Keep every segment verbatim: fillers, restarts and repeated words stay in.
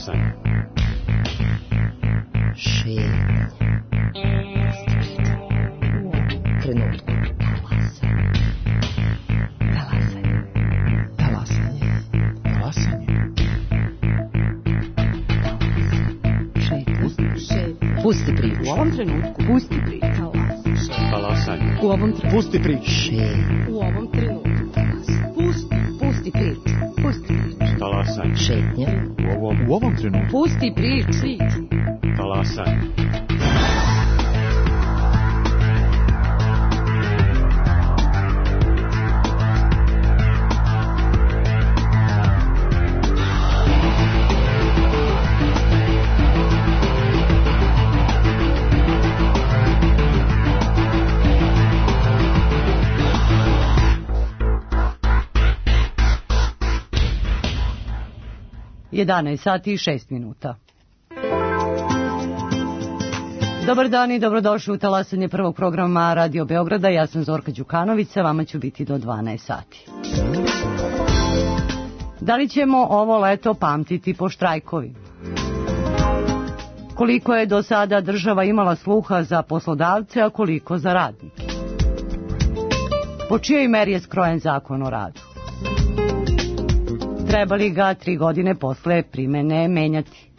Talasanje. Šetnja. Trenutku. Talasanje. Talasanje. Talasanje. Šetnja. Pusti priču. U ovom trenutku. Pusti priču. Talasanje. U ovom trenutku. Pusti priču. Šetnja. U ovom trenutku. Pusti. Pusti priču. Pusti priču. Talasanje. Šetnja. U ovom, u ovom trenutku. Pusti priču. Talasanje. jedanaest sati i šest minuta. Dobar dan i dobrodošli u talasanje prvog programa Radio Beograda. Ja sam Zorka Đukanović, sa vama ću biti do dvanaest sati. Da li ćemo ovo leto pamtiti po štrajkovi? Koliko je do sada država imala sluha za poslodavce, a koliko za radnike? Po čijoj meri je skrojen zakon o radu? Treba li ga tri godine posle primene menjati?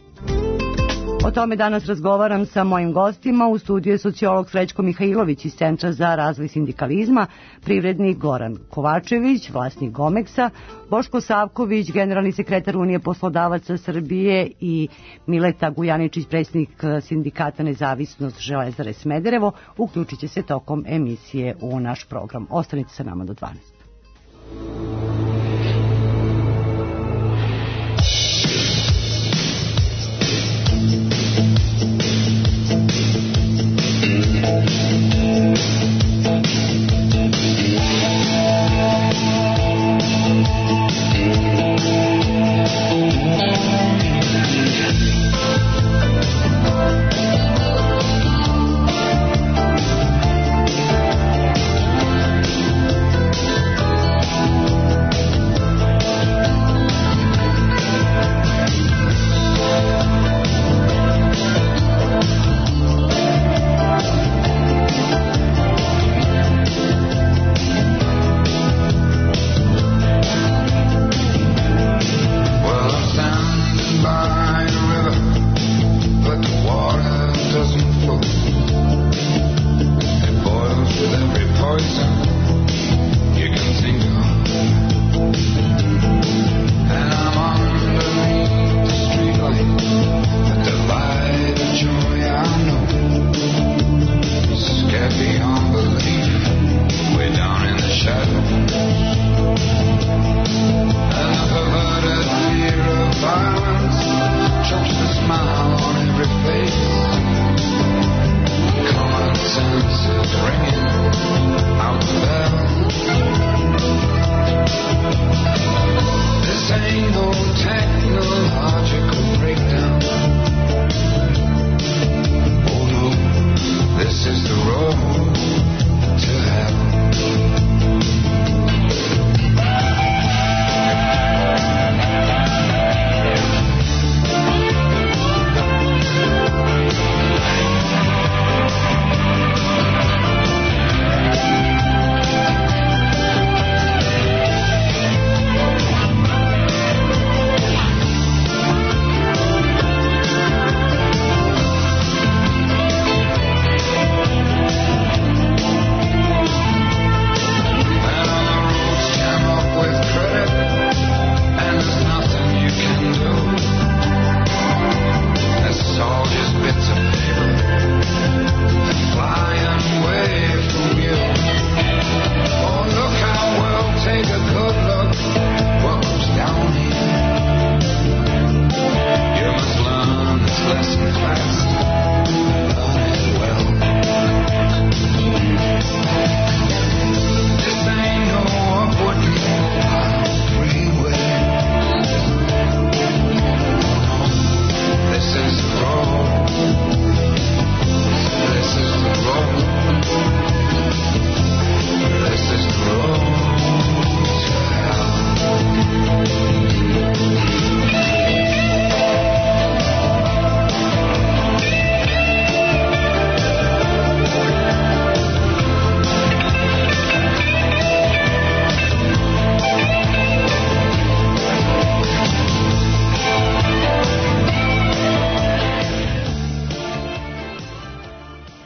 O tome danas razgovaram sa mojim gostima. U studiju je sociolog Srećko Mihajlović iz Centra za razvoj sindikalizma, privrednik Goran Kovačević, vlasnik Gomeksa, Boško Savković, generalni sekretar Unije poslodavaca Srbije i Mileta Gujaničić, predsjednik sindikata Nezavisnost Železare Smederevo, uključit će se tokom emisije u naš program. Ostanite sa nama do dvanaest.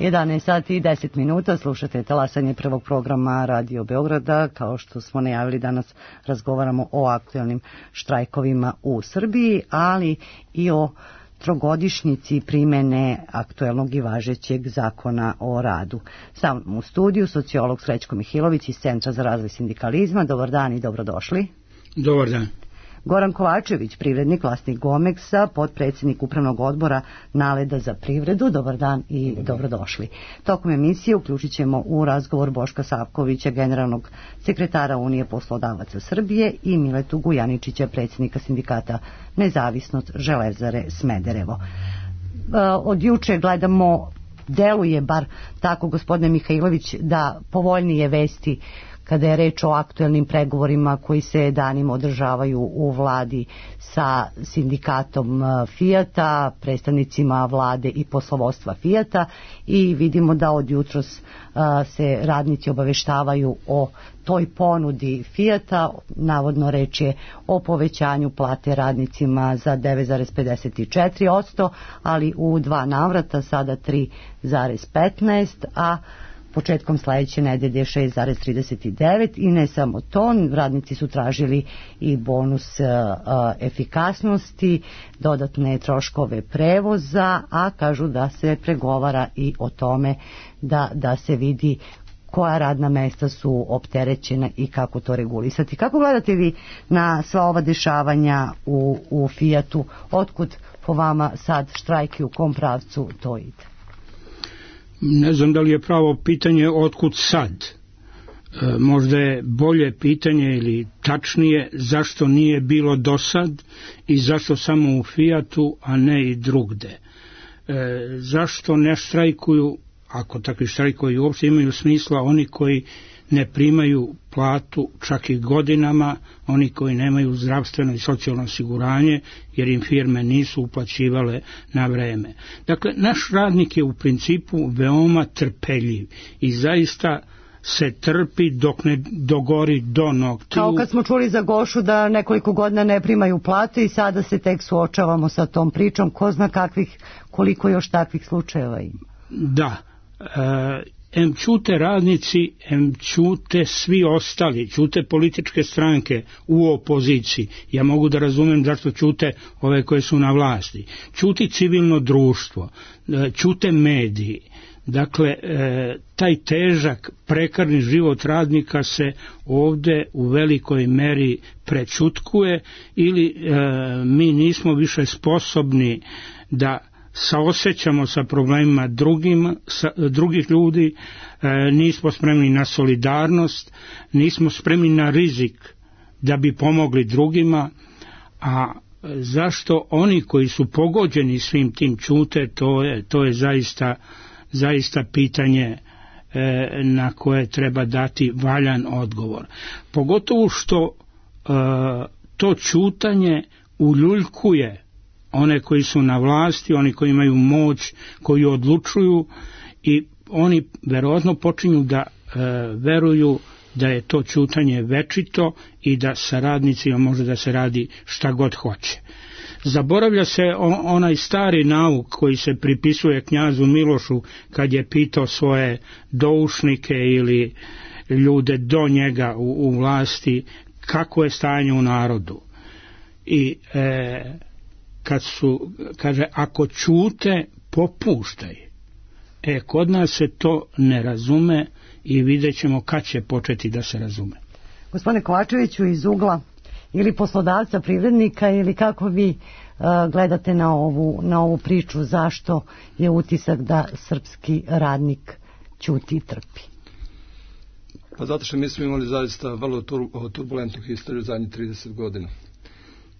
jedanaest sati i deset minuta, slušate talasanje prvog programa Radio Beograda. Kao što smo najavili, danas razgovaramo o aktuelnim štrajkovima u Srbiji, ali i o trogodišnjici primene aktuelnog i važećeg zakona o radu. Sam u studiju sociolog Srećko Mihilović iz Centra za razvoj sindikalizma. Dobar dan i dobrodošli. Dobar dan. Goran Kovačević, privrednik, vlasnik Gomeksa, potpredsjednik upravnog odbora Naleda za privredu. Dobar dan i dobrodošli. Tokom emisije uključit ćemo u razgovor Boška Savkovića, generalnog sekretara Unije poslodavaca Srbije, i Miletu Gujaničića, predsjednika sindikata Nezavisnost Železare Smederevo. Od juče gledamo, deluje bar tako, gospodine Mihajlović, da povoljnije vesti kada je reč o aktuelnim pregovorima koji se danima održavaju u vladi sa sindikatom Fijata, predstavnicima vlade i poslovodstva Fijata, i vidimo da od jutros se radnici obaveštavaju o toj ponudi Fijata. Navodno reč je o povećanju plate radnicima za devet zarez pedeset četiri posto, ali u dva navrata, sada tri zarez petnaest, a početkom sledeće nedelje šest zarez trideset devet. I ne samo to, radnici su tražili i bonus a, efikasnosti, dodatne troškove prevoza, a kažu da se pregovara i o tome da, da se vidi koja radna mesta su opterećena i kako to regulisati. Kako gledate vi na sva ova dešavanja u, u Fijatu? Otkud po vama sad štrajk i u kom pravcu to ide? Ne znam da li je pravo pitanje otkud sad. E, možda je bolje pitanje ili tačnije zašto nije bilo do sad i zašto samo u Fijatu, a ne i drugde. E, zašto ne štrajkuju, ako takvi štrajkovi uopšte imaju smisla, oni koji ne primaju platu čak i godinama, oni koji nemaju zdravstveno i socijalno osiguranje jer im firme nisu uplaćivale na vreme. Dakle, naš radnik je u principu veoma trpeljiv i zaista se trpi dok ne dogori do noktiju. Kao kad smo čuli za Gošu da nekoliko godina ne primaju plate i sada se tek suočavamo sa tom pričom. Ko zna kakvih, koliko još takvih slučajeva ima. Da, e, em ćute radnici, em ćute svi ostali, ćute političke stranke u opoziciji. Ja mogu da razumem zašto ćute ove koje su na vlasti. Ćuti civilno društvo, ćute mediji. Dakle, taj težak, prekarni život radnika se ovde u velikoj meri prećutkuje ili mi nismo više sposobni da saosećamo sa problemima drugim, sa, drugih ljudi, e, nismo spremni na solidarnost, nismo spremni na rizik da bi pomogli drugima, a zašto oni koji su pogođeni svim tim ćute, to je, to je zaista, zaista pitanje e, na koje treba dati valjan odgovor. Pogotovo što e, to ćutanje uljuljkuje one koji su na vlasti, oni koji imaju moć, koji odlučuju, i oni verovatno počinju da e, veruju da je to ćutanje večito i da sa radnicima može da se radi šta god hoće. Zaboravlja se on, onaj stari nauk koji se pripisuje knjazu Milošu kad je pitao svoje doušnike ili ljude do njega u, u vlasti kako je stanje u narodu. I e, kad su, kaže, ako ćute, popuštaj. E, kod nas se to ne razume i vidjet ćemo kad će početi da se razume. Gospodine Kovačeviću, iz ugla ili poslodavca, privrednika, ili kako vi uh, gledate na ovu, na ovu priču, zašto je utisak da srpski radnik ćuti i trpi? Pa zato što mi smo imali zaista vrlo turbulentnu historiju zadnjih trideset godina.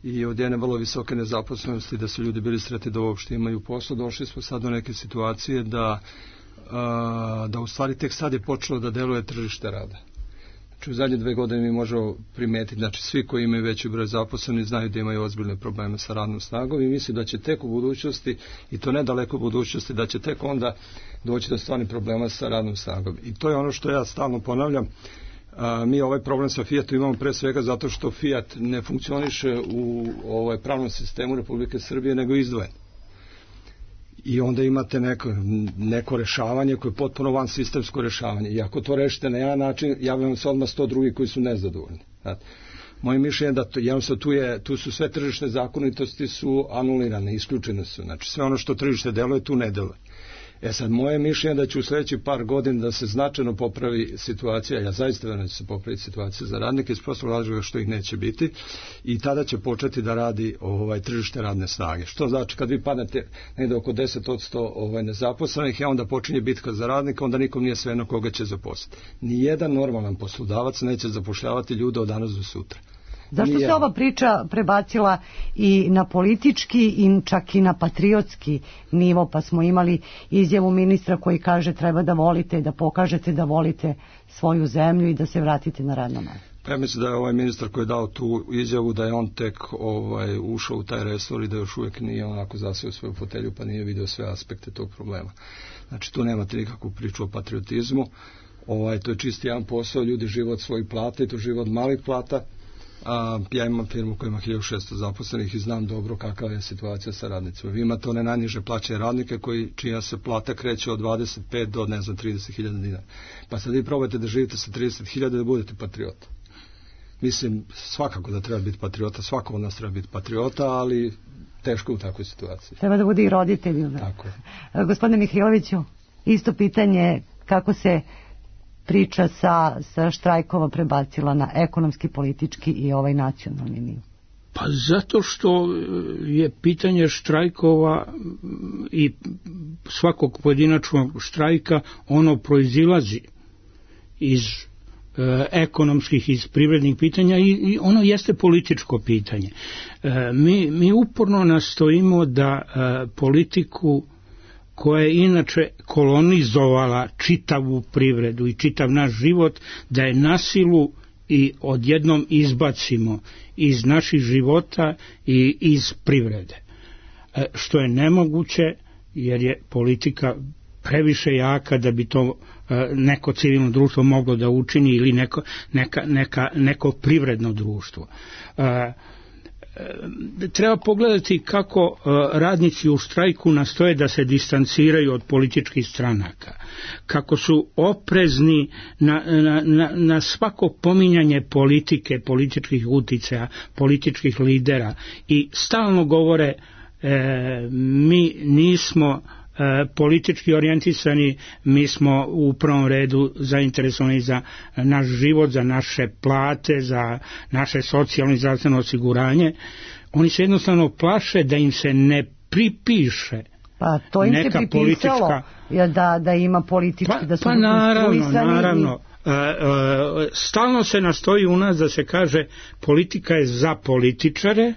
I od jedne vrlo visoke nezaposlenosti, da su ljudi bili sretni da uopšte imaju posao, došli smo sad do neke situacije da, a, da u stvari tek sad je počelo da deluje tržište rada. Znači u zadnje dve godine mi možemo primetiti, znači svi koji imaju veći broj zaposlenih znaju da imaju ozbiljne probleme sa radnom snagom i mislim da će tek u budućnosti, i to ne daleko u budućnosti, da će tek onda doći do stvarnih problema sa radnom snagom. I to je ono što ja stalno ponavljam. A, mi ovaj problem sa Fijatom imamo pre svega zato što Fijat ne funkcioniše u ovaj pravnom sistemu Republike Srbije, nego izdvojen. i onda imate neko, neko rešavanje koje je potpuno van sistemsko rešavanje. I ako to rešite na jedan način, javljamo se odmah sto drugi koji su nezadovoljni. Znate. Moje mišljenje je da to, jednostavno tu, je, tu su sve tržišne zakonitosti su anulirane, isključene su. Znači sve ono što tržište deluje, tu ne deluje. E sad, moje mišljenje da će u sledeći par godina da se značajno popravi situacija, ja zaista verujem da će se popraviti situacija za radnike iz prostog razloga što ih neće biti, i tada će početi da radi ovaj tržište radne snage. Što znači kad vi padnete negde oko deset posto ovaj nezaposlenih, a onda počinje bitka za radnika, onda nikom nije svejedno koga će zaposliti. Nijedan normalan poslodavac neće zapošljavati ljude od danas do sutra. Zašto se ova priča prebacila i na politički i čak i na patriotski nivo, pa smo imali izjavu ministra koji kaže treba da volite, da pokažete da volite svoju zemlju i da se vratite na radno mesto? Ja mislim da je ovaj ministar koji je dao tu izjavu da je on tek ovaj, ušao u taj resor i da još uvijek nije onako zaseo svoju fotelju pa nije vidio sve aspekte tog problema. Znači tu nemate nikakvu priču o patriotizmu, ovaj, to je čisti jedan posao, ljudi žive od svojih plata i to žive od malih plata. A, ja imam firmu koja ima hiljadu šesto zaposlenih i znam dobro kakva je situacija sa radnicima. Vi imate one najniže plaćene radnike koji, čija se plata kreće od dvadeset pet do ne znam trideset hiljada dinara. Pa sad vi probajte da živite sa trideset hiljada da budete patriota. Mislim, svakako da treba biti patriota, svako od nas treba biti patriota, ali teško u takvoj situaciji. Treba da bude i roditelj. Tako je. Gospodine Mihajloviću, isto pitanje kako se priča sa, sa štrajkova prebacila na ekonomski, politički i ovaj nacionalni nivo? Pa zato što je pitanje štrajkova i svakog pojedinačnog štrajka, ono proizilazi iz e, ekonomskih, iz privrednih pitanja i, i ono jeste političko pitanje. E, mi, mi uporno nastojimo da e, politiku koja je inače kolonizovala čitavu privredu i čitav naš život, da je na silu i odjednom izbacimo iz naših života i iz privrede. E, što je nemoguće, jer je politika previše jaka da bi to e, neko civilno društvo moglo da učini ili neko, neka, neka, neko privredno društvo. E, treba pogledati kako radnici u štrajku nastoje da se distanciraju od političkih stranaka, kako su oprezni na, na, na, na svako pominjanje politike, političkih uticaja, političkih lidera i stalno govore e, mi nismo E, politički orijentisani, mi smo u prvom redu zainteresovani za naš život, za naše plate, za naše socijalno i zdravstveno osiguranje. Oni se jednostavno plaše da im se ne pripiše pa to im neka se pripisalo politička... da, da ima politički, pa, da su pa naravno, naravno. I... E, e, stalno se nastoji u nas da se kaže politika je za političare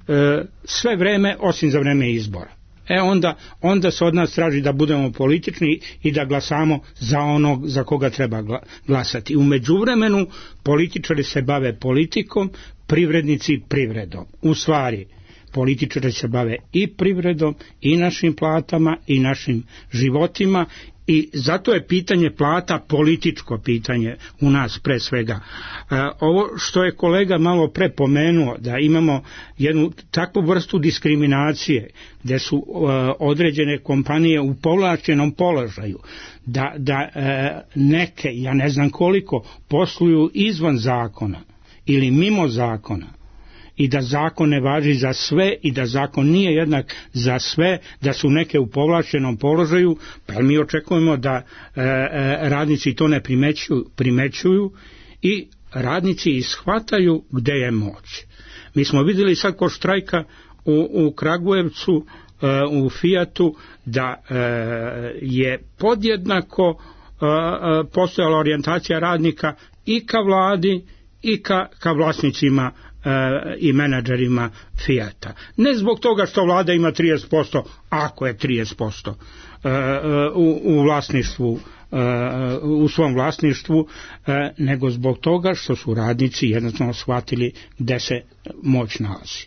e, sve vreme osim za vreme izbora. E onda, onda se od nas traži da budemo politični i da glasamo za onog za koga treba glasati. U međuvremenu političari se bave politikom, privrednici privredom. U stvari, političari se bave i privredom, i našim platama, i našim životima, i zato je pitanje plata političko pitanje u nas pre svega. E, ovo što je kolega malo pre pomenuo, da imamo jednu takvu vrstu diskriminacije gde su e, određene kompanije u povlašćenom položaju, da, da e, neke, ja ne znam koliko, posluju izvan zakona ili mimo zakona, i da zakon ne važi za sve i da zakon nije jednak za sve, da su neke u povlašćenom položaju, pa mi očekujemo da e, e, radnici to ne primećuju, primećuju i radnici ishvataju gde je moć. Mi smo vidjeli sad kod štrajka u, u Kragujevcu, e, u Fijatu, da e, je podjednako e, e, postojala orijentacija radnika i ka vladi i ka, ka vlasnicima i menadžerima Fijata. Ne zbog toga što vlada ima trideset posto, ako je trideset posto u, u vlasništvu, u svom vlasništvu, nego zbog toga što su radnici jednostavno shvatili gde se moć nalazi.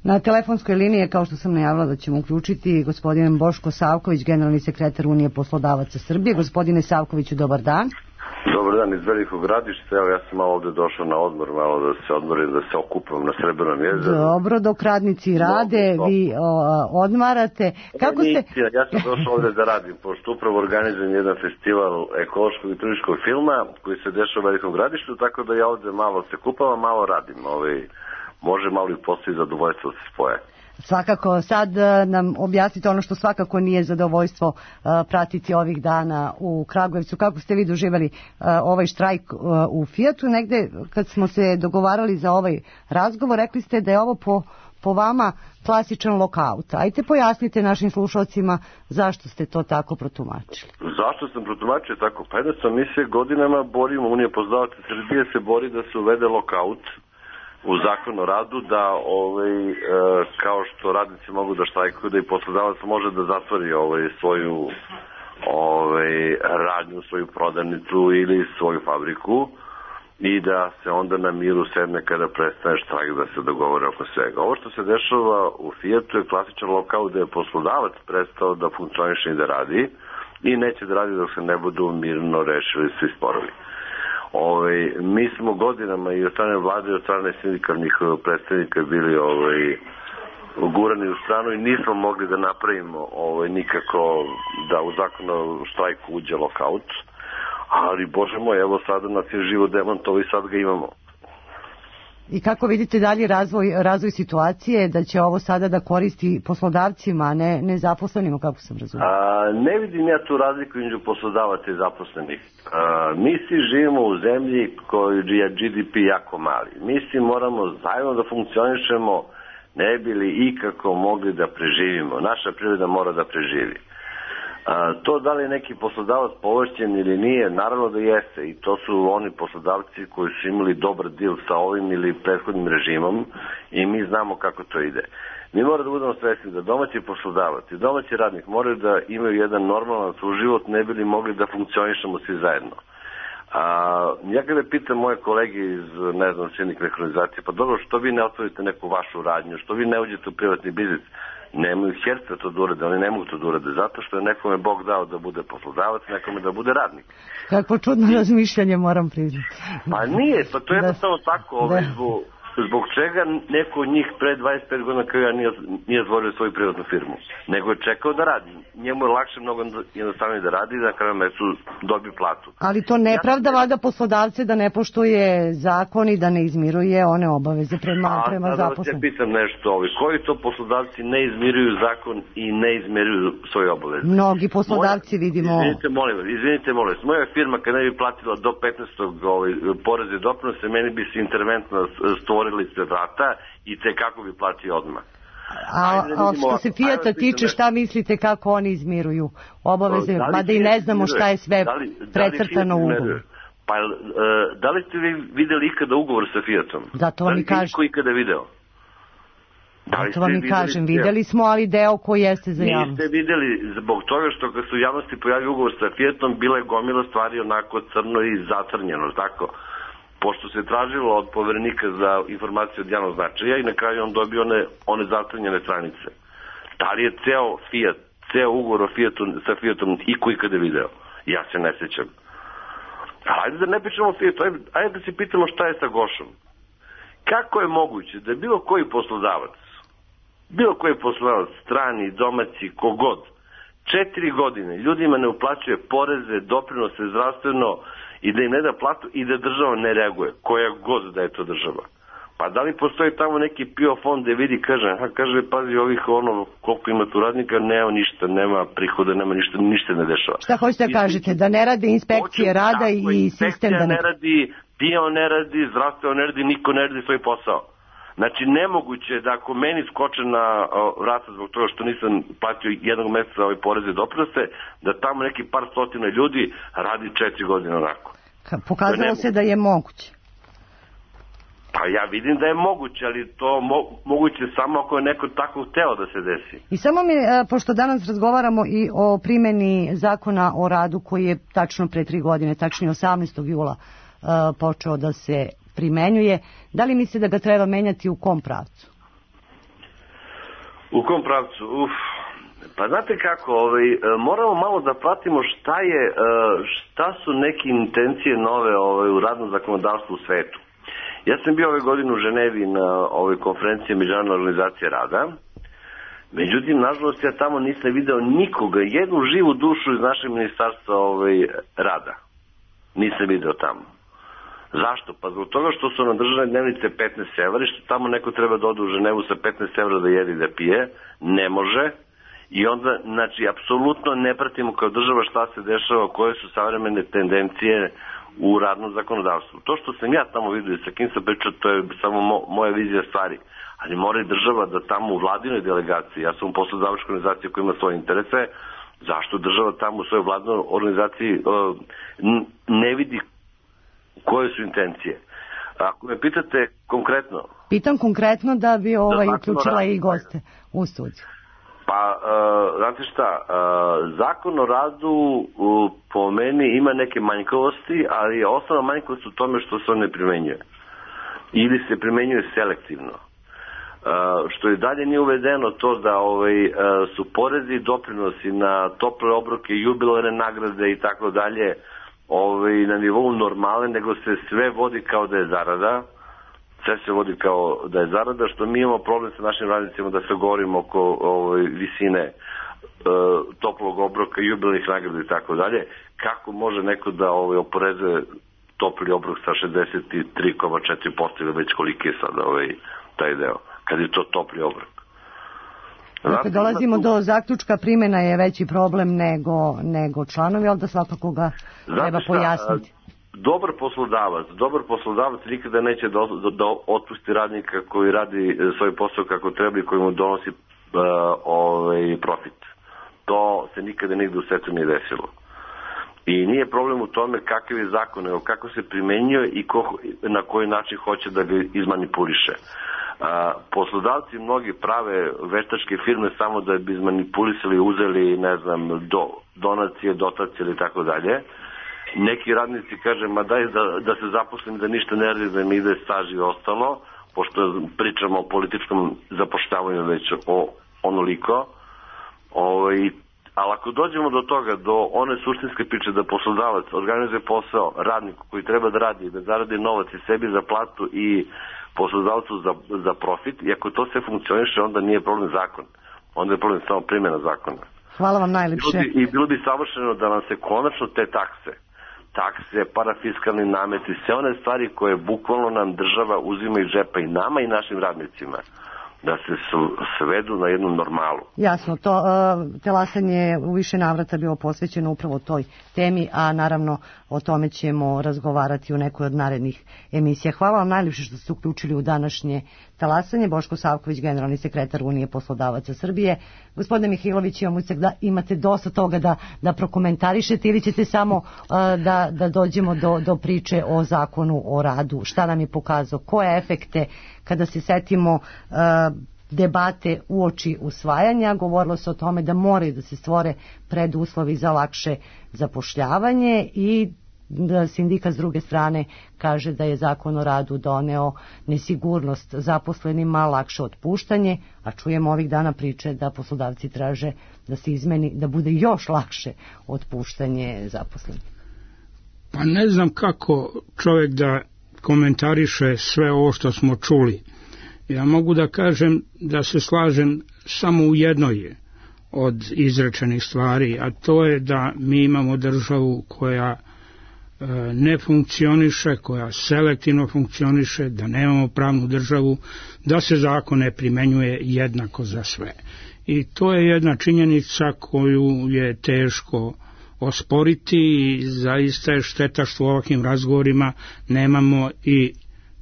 Na telefonskoj liniji je, kao što sam najavila da ćemo uključiti, gospodin Boško Savković, generalni sekretar Unije poslodavaca Srbije. Gospodine Savkoviću, dobar dan. Dobar dan iz Velikog Gradišta, evo ja sam malo ovde došao na odmor, malo da se odmorim, da se okupam na Srebrnom jezeru. Dobro, dok radnici rade, dobro, vi o, odmarate. Kako ste... Ja sam došao ovde da radim, pošto upravo organizujem jedan festival ekološkog i turističkog filma koji se dešava u Velikom Gradištu, tako da ja ovde malo se kupavam, malo radim. Ovaj, može malo i postoji zadovoljstvo da se spoje. Svakako, sad nam objasnite ono što svakako nije zadovoljstvo uh, pratiti ovih dana u Kragujevcu. Kako ste vi doživjeli uh, ovaj štrajk uh, u Fijatu? Negde kad smo se dogovarali za ovaj razgovor, rekli ste da je ovo po, po vama klasičan lokaut. Ajte pojasnite našim slušalcima zašto ste to tako protumačili. Zašto sam protumačio tako? Pa jednostavno mi se godinama borimo, Unija poslodavaca Srbije se bori da se uvede lokaut u zakon o radu, da ovaj, e, kao što radnici mogu da štrajkuju, da i poslodavac može da zatvori ovaj, svoju ovaj, radnju, svoju prodavnicu ili svoju fabriku i da se onda na miru sedne kada prestane štrajk, da se dogovore oko svega. Ovo što se dešava u Fijatu je klasičan lokal gde je poslodavac prestao da funkcioniše i da radi i neće da radi dok se ne budu mirno rešili svi sporovi. Ovaj, mi smo godinama i od strane vlade i od strane sindikalnih predstavnika bili ovaj, gurani u stranu i nismo mogli da napravimo ovaj, nikako da u zakon o štrajku uđe lokaut, ali bože moj, evo sada nas je živo demantovo i sad ga imamo. I kako vidite dalje razvoj, razvoj situacije, da će ovo sada da koristi poslodavcima, a ne, ne zaposlenima, kako sam razumio? A, ne vidim ja tu razliku između poslodavaca i zaposlenih. A, mi svi živimo u zemlji koji je G D P jako mali. Mi svi moramo zajedno da funkcionišemo, ne bi li ikako mogli da preživimo. Naša privreda mora da preživi. A, to da li je neki poslodavac povlašćen ili nije, naravno da jeste i to su oni poslodavci koji su imali dobar deal sa ovim ili prethodnim režimom i mi znamo kako to ide. Mi moramo da budemo svesni da domaći poslodavac i domaći radnik moraju da imaju jedan normalan suživot, ne bi li mogli da funkcionišemo svi zajedno. A, ja kada pitam moje kolege iz, ne znam, sindikalne organizacije, pa dobro, što vi ne otvorite neku vašu radnju, što vi ne uđete u privatni biznis? Nemaju herca to da urade, oni ne mogu to da urade, zato što je nekome Bog dao da bude poslodavac, nekome da bude radnik. Kako čudno razmišljanje, moram priznati. Pa nije, pa to je jednostavno tako, ovaj, zbog, zbog čega neko od njih pre dvadeset pet godina kao ja nije, nije stvorio svoju privatnu firmu, nego je čekao da radi. Njemu je lakše mnogo jednostavnije da radi i da na kraju mesecu dobi platu. Ali to ne pravda valjda poslodavce da ne poštuje zakon i da ne izmiruje one obaveze prema, prema zaposlenim. Ja pitam nešto, ovi, koji to poslodavci ne izmiruju zakon i ne izmiruju svoje obaveze? Mnogi poslodavci Moja, vidimo... Izvinite, molim vas, izvinite, molim vas. Moja firma kada ne bi platila do petnaestog ovaj, poreze i doprinose, meni bi se interventno stvorili sve vrata i te kako bi platio odmah. A, a što se Fijata tiče, šta mislite kako oni izmiruju obaveze, da mada i ne znamo šta je sve da li, precrtano u ugovoru? Pa, uh, da li ste vi videli ikada ugovor sa Fijatom? Zato vam i kažem. Da li ikada video? Da Zato vam i kažem, videli smo, ali deo koji jeste za javnost. Niste videli, zbog toga što kad su u javnosti pojavio ugovor sa Fijatom, bila je gomila stvari onako crno i zacrnjeno, tako? Pošto se tražilo od poverenika za informacije od javnog značaja i na kraju on dobio one, one zacrnjene stranice. Da li je ceo Fiat, ceo ugovor o Fiatu, sa Fiatom i koji kada video? Ja se ne sećam. Ajde da ne pričamo o Fiatu, ajde, ajde da se pitamo šta je sa Gošom. Kako je moguće da bilo koji poslodavac, bilo koji poslodavac, strani, domaći, kogod, četiri godine ljudima ne uplaćuje poreze, doprinose, zdravstveno, i da im ne da platu i da država ne reaguje, koja god da je to država. Pa da li postoji tamo neki P I O fond gde vidi, kaže, aha, kaže, pazi ovih ono, koliko ima tu radnika, nema ništa, nema prihoda, nema ništa, ništa ne dešava. Šta hoćete da kažete, da ne rade inspekcije rada i sistem da ne... ne radi, P I O ne radi, zdravstvo ne radi, niko ne radi svoj posao. Znači, nemoguće da ako meni skoče na vrata zbog toga što nisam platio jednog meseca ove poreze i doprinose, da tamo neki par stotina ljudi radi četiri godine onako. Pokazalo se da je moguće. Pa ja vidim da je moguće, ali to mo moguće samo ako je neko tako hteo da se desi. I samo mi, pošto danas razgovaramo i o primjeni zakona o radu koji je tačno pre tri godine, tačnije osamnaestog jula počeo da se primenjuje, da li misli da ga treba menjati u kom pravcu? U kom pravcu? Uf, Pa znate kako, ovaj, moramo malo da pratimo šta je, šta su neke intencije nove ovaj, u radnom zakonodavstvu u svetu. Ja sam bio ove godine u Ženevi na ovoj konferenciji Međunarodne organizacije rada. Međutim, nažalost, ja tamo nisam video nikoga, jednu živu dušu iz našeg ministarstva ovaj, rada. Nisam video tamo. Zašto? Pa zbog toga što su na državne dnevnice petnaest evra i što tamo neko treba da ode u Ženevu sa petnaest evra da jede i da pije. Ne može. I onda, znači, apsolutno ne pratimo kao država šta se dešava, koje su savremene tendencije u radnom zakonodavstvu. To što sam ja tamo vidio i sa kim sam pričao, to je samo mo, moja vizija stvari. Ali mora i država da tamo u vladinoj delegaciji, ja sam u poslodavačkoj organizaciji koja ima svoje interese, zašto država tamo u svojoj vladinoj organizaciji uh, ne vidi koje su intencije? Ako me pitate konkretno... Pitam konkretno da bi ovaj uključila i goste u studiju. Pa, uh, znate šta, uh, zakon o radu uh, po meni ima neke manjkavosti, ali je osnovna manjkavost u tome što se on ne primenjuje. Ili se primenjuje selektivno. Uh, što i dalje nije uvedeno to da ovaj, uh, su porezi i doprinosi na tople obroke, jubilarne nagrade i tako dalje ovaj, na nivou normale, nego se sve vodi kao da je zarada. Sve se vodi kao da je zarada, što mi imamo problem sa našim radnicima da se govorimo oko ovaj, visine e, toplog obroka, jubilarnih nagrada i tako dalje. Kako može neko da ovaj, oporezuje topli obrok sa šezdeset tri zarez četiri posto ili već koliki je sad ovaj, taj deo, kad je to topli obrok. Dakle, dolazimo do zaključka, primjena je veći problem nego, nego članovi, ali da svakako ga treba pojasniti. Dobar poslodavac, dobar poslodavac nikada neće da, da, da otpusti radnika koji radi svoj posao kako treba i koji mu donosi uh, ovaj, profit. To se nikada nigde u svetu nije desilo. I nije problem u tome kakav je zakon, nego kako se primenjuje i ko, na koji način hoće da ga izmanipuliše. Uh, poslodavci mnogi prave veštačke firme samo da bi izmanipulisali, uzeli, ne znam, do, donacije, dotacije ili tako dalje. Neki radnici kaže, ma daj da, da se zaposlim, da ništa ne radi, da mi ide staž i ostalo, pošto pričamo o političkom zapošljavanju već o onoliko. O, i, ali ako dođemo do toga, do one suštinske priče da poslodavac organizuje posao radniku koji treba da radi, da zaradi novac i sebi za platu i poslodavcu za, za profit, i ako to sve funkcioniše, onda nije problem zakon. Onda je problem samo primjena zakona. Hvala vam najlepše. I bilo bi, i bilo bi savršeno da nam se konačno te takse, takse, parafiskalni nameti, sve one stvari koje bukvalno nam država uzima iz džepa i nama i našim radnicima, da se svedu na jednu normalu. Jasno, to uh, telasanje je u više navrata bilo posvećeno upravo toj temi, a naravno o tome ćemo razgovarati u nekoj od narednih emisija. Hvala vam najljepše što ste uključili u današnje talasanje. Boško Savković, generalni sekretar Unije poslodavaca Srbije. Gospodine Mihajlović, imate dosta toga da, da prokomentarišete ili ćete samo uh, da, da dođemo do, do priče o zakonu o radu? Šta nam je pokazao? Koje efekte kada se setimo uh, debate uoči usvajanja? Govorilo se o tome da moraju da se stvore preduslovi za lakše zapošljavanje i da sindikat s druge strane kaže da je zakon o radu doneo nesigurnost zaposlenima, lakše otpuštanje, a čujemo ovih dana priče da poslodavci traže da se izmeni, da bude još lakše otpuštanje zaposlenih. Pa ne znam kako čovjek da komentariše sve ovo što smo čuli. Ja mogu da kažem da se slažem samo u jednoj od izrečenih stvari, a to je da mi imamo državu koja ne funkcioniše, koja selektivno funkcioniše, da nemamo pravnu državu, da se zakon ne primenjuje jednako za sve. I to je jedna činjenica koju je teško osporiti i zaista je šteta što u ovakvim razgovorima nemamo i,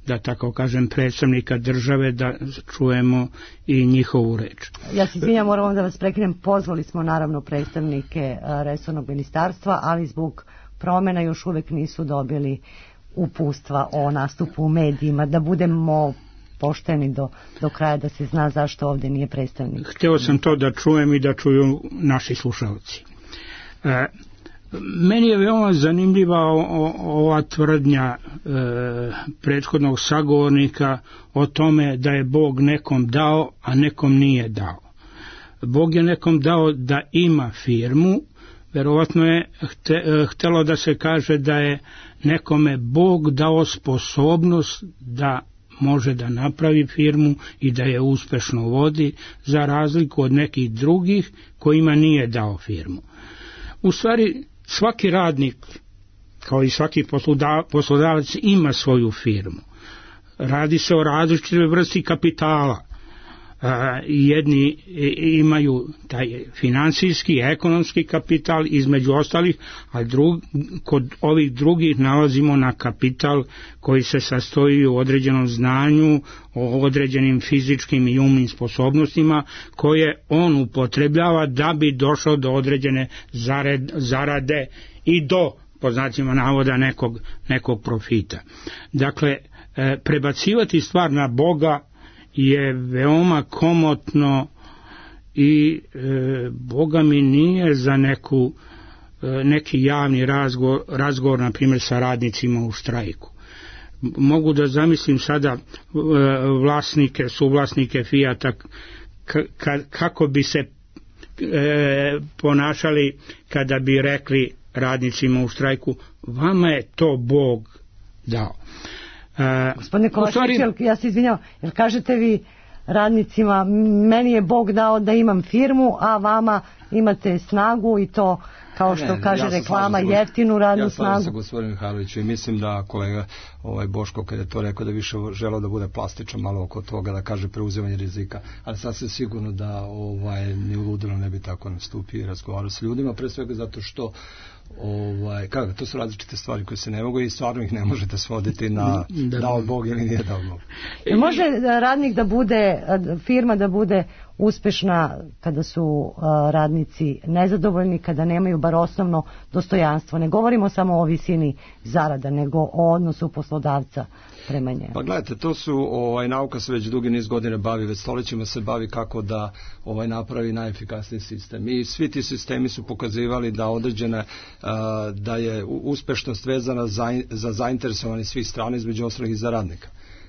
da tako kažem, predstavnika države da čujemo i njihovu reč. Ja se izvinjam, moram da vas prekinem, pozvali smo naravno predstavnike resornog ministarstva, ali zbog promjena još uvijek nisu dobili upustva o nastupu u medijima, da budemo pošteni do, do kraja, da se zna zašto ovdje nije predstavnik. Htio sam to da čujem i da čuju naši slušalci. E, meni je veoma zanimljiva o, o, ova tvrdnja e, prethodnog sagovornika o tome da je Bog nekom dao, a nekom nije dao. Bog je nekom dao da ima firmu, verovatno je htelo da se kaže da je nekome Bog dao sposobnost da može da napravi firmu i da je uspešno vodi, za razliku od nekih drugih kojima nije dao firmu. U stvari, svaki radnik, kao i svaki poslodavac, ima svoju firmu. Radi se o različitoj vrsti kapitala. Jedni imaju taj finansijski, ekonomski kapital između ostalih, a drug, kod ovih drugih nalazimo na kapital koji se sastoji u određenom znanju, o određenim fizičkim i umnim sposobnostima koje on upotrebljava da bi došao do određene zarade i do, po znacima navoda, nekog, nekog profita. Dakle, prebacivati stvar na Boga je veoma komotno i e, Boga mi nije za neku, e, neki javni razgovor, razgovor na primjer sa radnicima u štrajku. Mogu da zamislim sada e, vlasnike, suvlasnike Fijata ka, kako bi se e, ponašali kada bi rekli radnicima u štrajku, vama je to Bog dao. Uh, Gospodine Kovačević, stvari... ja se izvinjam, jer kažete vi radnicima, meni je Bog dao da imam firmu, a vama imate snagu i to, kao što ne, kaže ja reklama, jeftinu radnu ja snagu. Ja sam sa gospodinom Mihajloviću i mislim da kolega ovaj Boško, kada je to rekao, da više želeo da bude plastičan malo oko toga, da kaže preuzimanje rizika, ali sasvim sigurno da ovaj, ni u ludilu ne bi tako nastupio i razgovarao sa ljudima, pre svega zato što ovaj, kako, to su različite stvari koje se ne mogu i stvarno ih ne možete svoditi na da, dao Bog ili nije dao Bog. I može radnik da bude, firma da bude uspešna kada su radnici nezadovoljni, kada nemaju bar osnovno dostojanstvo. Ne govorimo samo o visini zarada, nego o odnosu poslodavca prema njemu. Pa gledajte, to su, ovaj, nauka se već dugi niz godine bavi, već stoljećima se bavi kako da ovaj, napravi najefikasniji sistem. I svi ti sistemi su pokazivali da određena, da je uspešnost vezana za, za zainteresovanje svih strana, između ostalih i za radnika.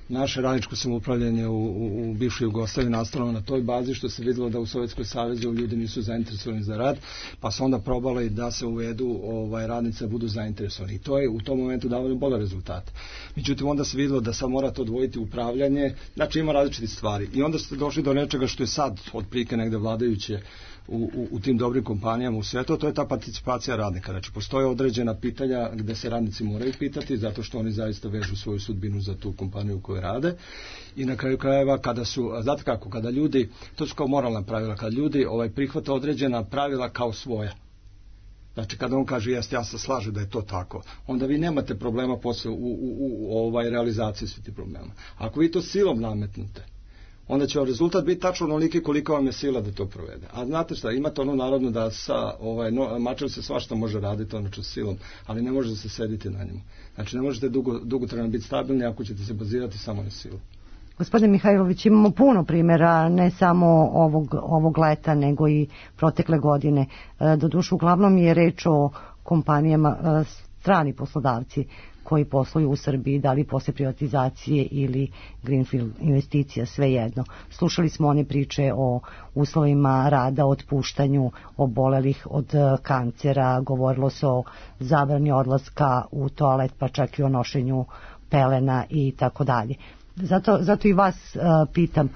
Naše radničko samoupravljanje u, u, u bivšoj Jugoslaviji nastalo na toj bazi, što se vidjelo da u Sovjetskom savezu ljudi nisu zainteresovani za rad, pa su onda probali da se uvedu ovaj, radnice budu zainteresovani. I to je u tom momentu davalo bolje rezultate. Međutim, onda se vidjelo da sad morate odvojiti upravljanje, znači ima različite stvari. I onda ste došli do nečega što je sad otprilike negde vladajuće U, u, u tim dobrim kompanijama u svijetu, to je ta participacija radnika. Znači, postoje određena pitanja gde se radnici moraju pitati, zato što oni zaista vežu svoju sudbinu za tu kompaniju u kojoj rade. I na kraju krajeva, kada su, znate kako, kada ljudi, to su kao moralna pravila, kada ljudi ovaj, prihvate određena pravila kao svoja. Znači, kada on kaže, jeste, ja se slažem da je to tako, onda vi nemate problema posle u, u, u, u ovaj, realizaciji svih tih problema. Ako vi to silom nametnute, onda će vam rezultat biti tačno onoliki koliko vam je sila da to provede. A znate šta, imate ono narodno da sa ovaj, no, mačem se svašta može raditi ono čo silom, ali ne može da se sediti na njemu. Znači ne možete dugo, dugotrajno biti stabilni ako ćete se bazirati samo na silu. Gospodine Mihajlović, imamo puno primjera, ne samo ovog, ovog leta, nego i protekle godine. Doduše, uglavnom je reč o kompanijama, strani poslodavci koji posluju u Srbiji, da li posle privatizacije ili greenfield investicija, svejedno. Slušali smo one priče o uslovima rada, otpuštanju obolelih od kancera, govorilo se o zabrani odlaska u toalet, pa čak i o nošenju pelena i tako dalje. Zato, zato i vas uh, pitam,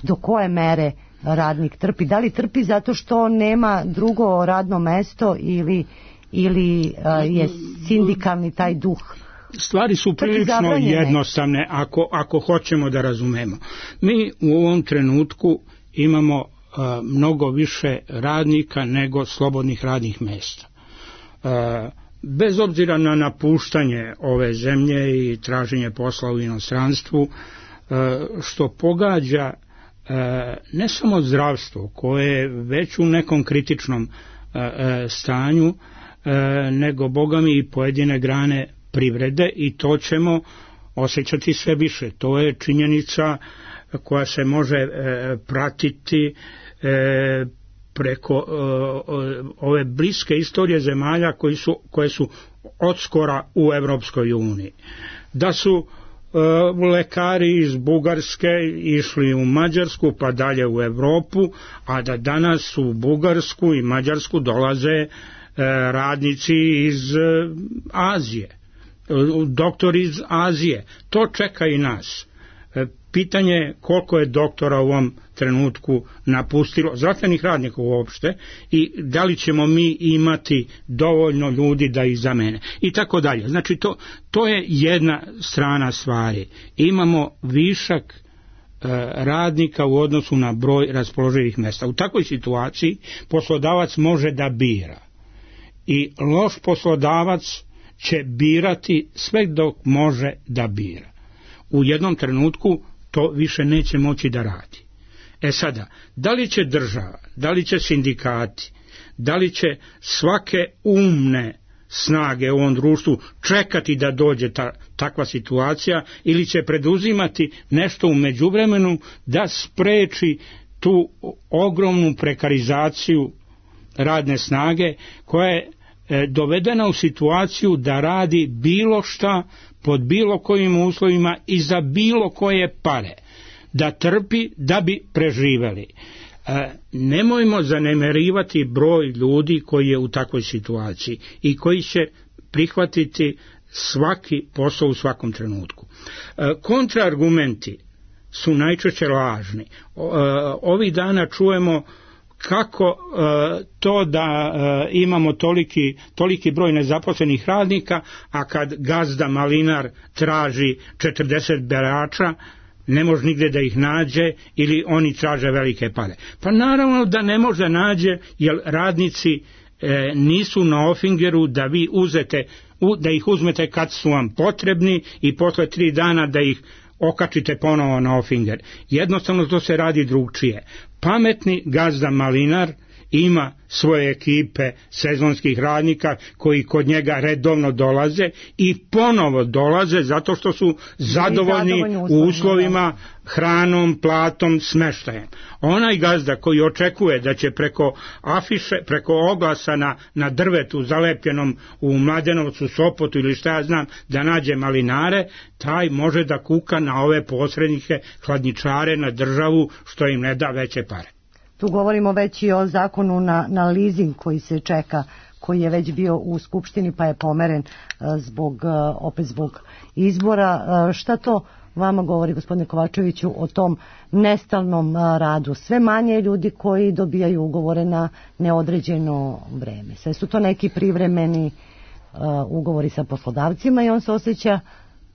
do koje mere radnik trpi? Da li trpi zato što nema drugo radno mesto ili ili uh, je sindikalni taj duh? Stvari su prilično jednostavne ako, ako hoćemo da razumemo. Mi u ovom trenutku imamo uh, mnogo više radnika nego slobodnih radnih mesta. Uh, bez obzira na napuštanje ove zemlje i traženje posla u inostranstvu, uh, što pogađa uh, ne samo zdravstvo koje je već u nekom kritičnom uh, stanju, E, nego bogami i pojedine grane privrede, i to ćemo osjećati sve više. To je činjenica koja se može e, pratiti e, preko e, ove bliske istorije zemalja koji su, koje su odskora u Evropskoj uniji. Da su lekari iz Bugarske išli u Mađarsku pa dalje u Evropu, a da danas u Bugarsku i Mađarsku dolaze radnici iz Azije, doktori iz Azije. To čeka i nas. Pitanje je koliko je doktora u ovom trenutku napustilo, zdravstvenih radnika uopšte, i da li ćemo mi imati dovoljno ljudi da ih zamene i tako dalje. Znači to, to je jedna strana stvari. Imamo višak e, radnika u odnosu na broj raspoloživih mjesta. U takvoj situaciji poslodavac može da bira i loš poslodavac će birati sve dok može da bira. U jednom trenutku to više neće moći da radi. E sada, da li će država, da li će sindikati, da li će svake umne snage u ovom društvu čekati da dođe ta, takva situacija, ili će preduzimati nešto u međuvremenu da spreči tu ogromnu prekarizaciju radne snage koja je e, dovedena u situaciju da radi bilo šta pod bilo kojim uslovima i za bilo koje pare, da trpi da bi preživeli. E, nemojmo zanemarivati broj ljudi koji je u takvoj situaciji i koji će prihvatiti svaki posao u svakom trenutku. E, kontraargumenti su najčešće lažni. O, e, ovih dana čujemo kako e, to da e, imamo toliki, toliki broj nezaposlenih radnika, a kad gazda malinar traži četrdeset berača, ne može nigde da ih nađe, ili oni traže velike pare. Pa naravno da ne može nađe, jer radnici e, nisu na ofingeru da vi uzete, u, da ih uzmete kad su vam potrebni i posle tri dana da ih okačite ponovo na ofinger. Jednostavno to se radi drugčije. Pametni gazda malinar ima svoje ekipe sezonskih radnika koji kod njega redovno dolaze i ponovo dolaze zato što su zadovoljni u uslovima, hranom, platom, smeštajem. Onaj gazda koji očekuje da će preko afiše, preko oglasa na, na drvetu zalepljenom u Mladenovcu, Sopotu ili šta ja znam, da nađe malinare, taj može da kuka na ove posrednike, hladničare, na državu što im ne da veće pare. Tu govorimo već i o zakonu na, na leasing koji se čeka, koji je već bio u Skupštini pa je pomeren zbog, opet zbog izbora. Šta to vama govori, gospodine Kovačeviću, o tom nestalnom radu? Sve manje ljudi koji dobijaju ugovore na neodređeno vreme. Sve su to neki privremeni ugovori sa poslodavcima i on se osjeća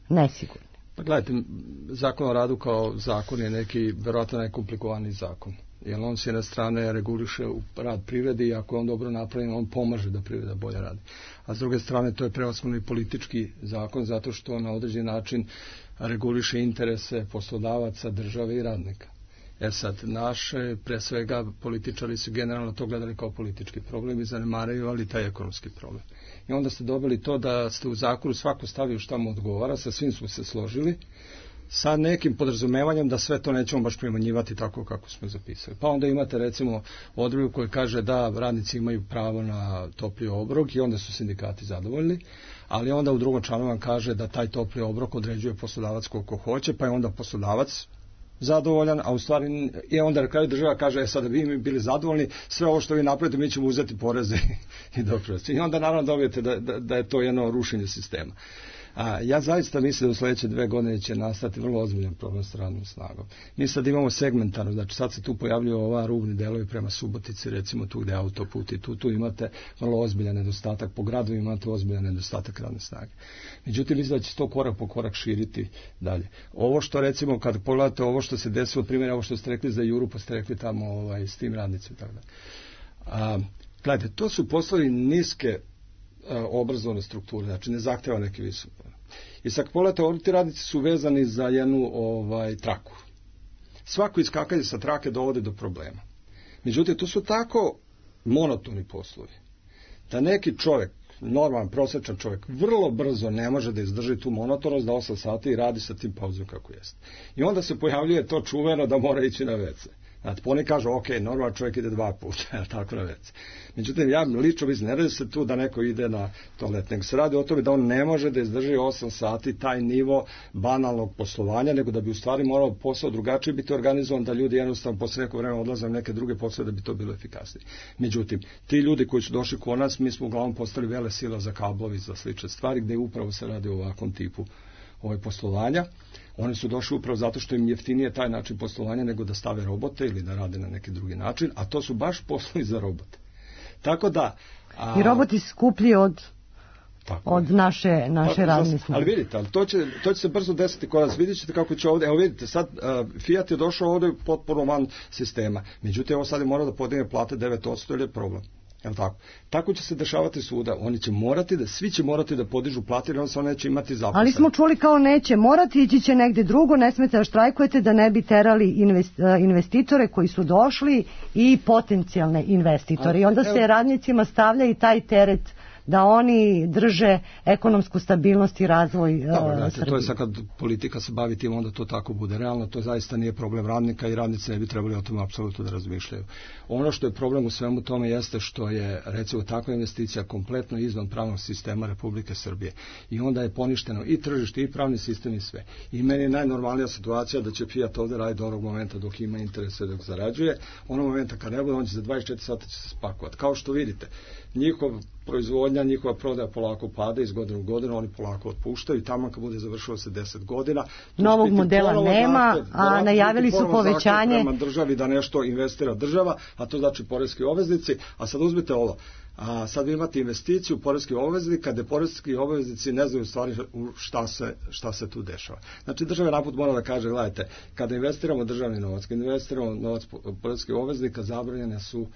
nesigurno. Pa gledajte, zakon o radu kao zakon je neki, verovatno najkomplikovaniji zakon. Jer on s jedne strane reguliše rad privrede i ako je on dobro napravljen, on pomaže da privreda bolje radi. A s druge strane to je prevashodno i politički zakon zato što na određen način reguliše interese poslodavaca, države i radnika. Jer sad naše, pre svega, političari su generalno to gledali kao politički problem i zanemarivali taj ekonomski problem. I onda ste dobili to da ste u zakonu svako stavio šta mu odgovara, sa svim smo se složili, sa nekim podrazumevanjem da sve to nećemo baš primanjivati tako kako smo zapisali. Pa onda imate recimo odredbu koja kaže da radnici imaju pravo na topli obrok i onda su sindikati zadovoljni, ali onda u drugom članu vam kaže da taj topli obrok određuje poslodavac koliko hoće, pa je onda poslodavac zadovoljan, a u stvari je onda na kraju država kaže, e sad da vi mi bili zadovoljni, sve ovo što vi napravite mi ćemo uzeti poreze i doprinose. I onda naravno dobijete da, da, da je to jedno rušenje sistema. A, ja zaista mislim da u sljedeće dve godine će nastati vrlo ozbiljan problem s radnom snagom. Mi sad imamo segmentarno, znači sad se tu pojavljuju ova rubni delovi prema Subotici, recimo tu gde je autoput i tu, tu imate vrlo ozbiljan nedostatak, po gradu imate ozbiljan nedostatak radne snage. Međutim, mislim da će to korak po korak širiti dalje. Ovo što recimo, kad pogledate ovo što se desilo, primjer, ovo što ste rekli za Juru, pa ste rekli tamo ovaj, s tim radnicima i tako dalje. A, gledajte, to su poslovi niske obrazovne strukture, znači ne zahteva neki visok. I sad pogledajte, ovdje ti radnici su vezani za jednu ovaj, traku. Svako iskakanje sa trake dovode do problema. Međutim, to su tako monotoni poslovi, da neki čovjek, normalan, prosječan čovjek, vrlo brzo ne može da izdrži tu monotonost, da osam sati i radi sa tim pauzom kako jeste. I onda se pojavljuje to čuveno da mora ići na ve ce. Znate, oni kažu, ok, normalno čovjek ide dva puta, tako na već. Međutim, ja lično mislim, ne radi se tu da neko ide na toalet, nego se radi o tome da on ne može da izdrži osam sati taj nivo banalnog poslovanja, nego da bi u stvari morao posao drugačije biti organizovan, da ljudi jednostavno posle neko vremena odlaze na neke druge poslove da bi to bilo efikasnije. Međutim, ti ljudi koji su došli kod nas, mi smo uglavnom postali vele sila za kablovi, za slične stvari, gde upravo se radi o ovakvom tipu ovaj poslovanja. Oni su došli upravo zato što im jeftinije taj način poslovanja nego da stave robote ili da rade na neki drugi način, a to su baš poslovi za robote. Tako da... A... I roboti skuplji od... Tako od je. naše, naše pa, radne snage. Ali vidite, ali to, će, to će se brzo desiti kod nas. Vidjet ćete kako će ovdje, evo vidite, sad uh, Fiat je došao ovdje potpuno van sistema. Međutim, ovo sad je morao da podigne plate devet posto ili je problem. Jel tako? Tako će se dešavati svuda. Oni će morati da, svi će morati da podižu plate, jer on se neće imati zaposlene. Ali smo čuli kao neće morati, ići će negde drugo, ne smete da štrajkujete da ne bi terali invest, investitore koji su došli i potencijalne investitore. I onda evo, se radnicima stavlja i taj teret da oni drže ekonomsku stabilnost i razvoj Dobro, znate, Srbije. To je sad kad politika se bavi tim, onda to tako bude. Realno to zaista nije problem radnika i radnici ne bi trebali o tome apsolutno da razmišljaju. Ono što je problem u svemu tome jeste što je, recimo, takva investicija kompletno izvan pravnog sistema Republike Srbije. I onda je poništeno i tržište i pravni sistem i sve. I meni je najnormalnija situacija da će Fiat ovdje raditi do onog momenta dok ima interese, dok zarađuje. Onog momenta kad ne bude, on će za dvadeset četiri sata će se spakovati. Kao što vidite, njihov proizvodnja, njihova prodaja polako pada iz godine u godinu, oni polako otpuštaju i tamo kad bude završilo se deset godina. Novog modela nema, zahtjev, a najavili su povećanje. Prema državi da nešto investira država, a to znači poreski obveznici, a sad uzmite ovo. A sad vi imate investiciju poreskih obveznika, gde poreski obveznici ne znaju stvari šta se, šta se tu dešava. Znači država naput mora da kaže, gledajte, kada investiramo državni novac, kada investiramo novac poreskih obveznika, zabranjene su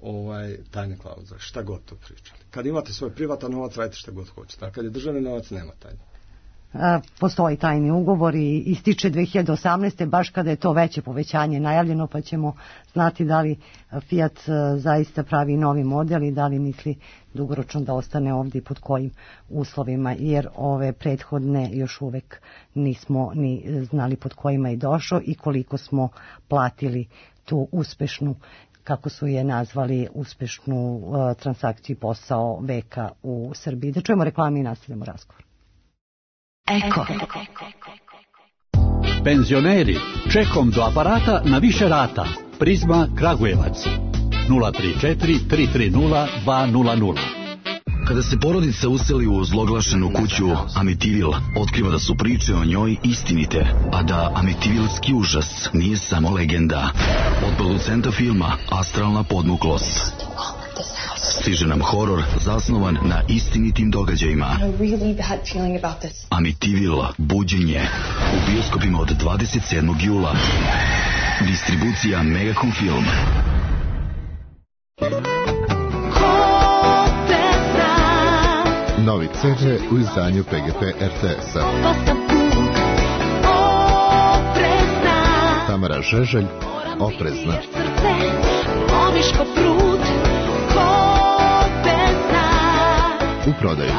ovaj tajne klauze, šta god to pričali. Kad imate svoj privatan novac, radite šta god hoćete, a kad je državni novac, nema tajne. Postoji tajni ugovor i ističe dve hiljade osamnaeste. baš kada je to veće povećanje najavljeno, pa ćemo znati da li Fiat zaista pravi novi model i da li misli dugoročno da ostane ovdje i pod kojim uslovima, jer ove prethodne još uvek nismo ni znali pod kojima je došao i koliko smo platili tu uspešnu, kako su je nazvali, uspešnu uh, transakciju posao veka u Srbiji. Da čujemo reklame i nastavljamo razgovor. Eko. Penzioneri, čekom do aparata na više rata. Prizma Kragujevac. nula tri četiri tri tri nula dva nula nula. Kada se porodica useli u zloglašenu kuću Amitivil, otkriva da su priče o njoj istinite, a da Amitivilski užas nije samo legenda. Od producenta filma Astralna podmuklost stiže nam horor zasnovan na istinitim događajima. Amitivil, buđenje, u bioskopima od dvadeset sedmog jula. Distribucija Megacom Film. Novi ce de u izdanju P G P R T S-a. Tamara Žeželj, Oprezna. U prodaju.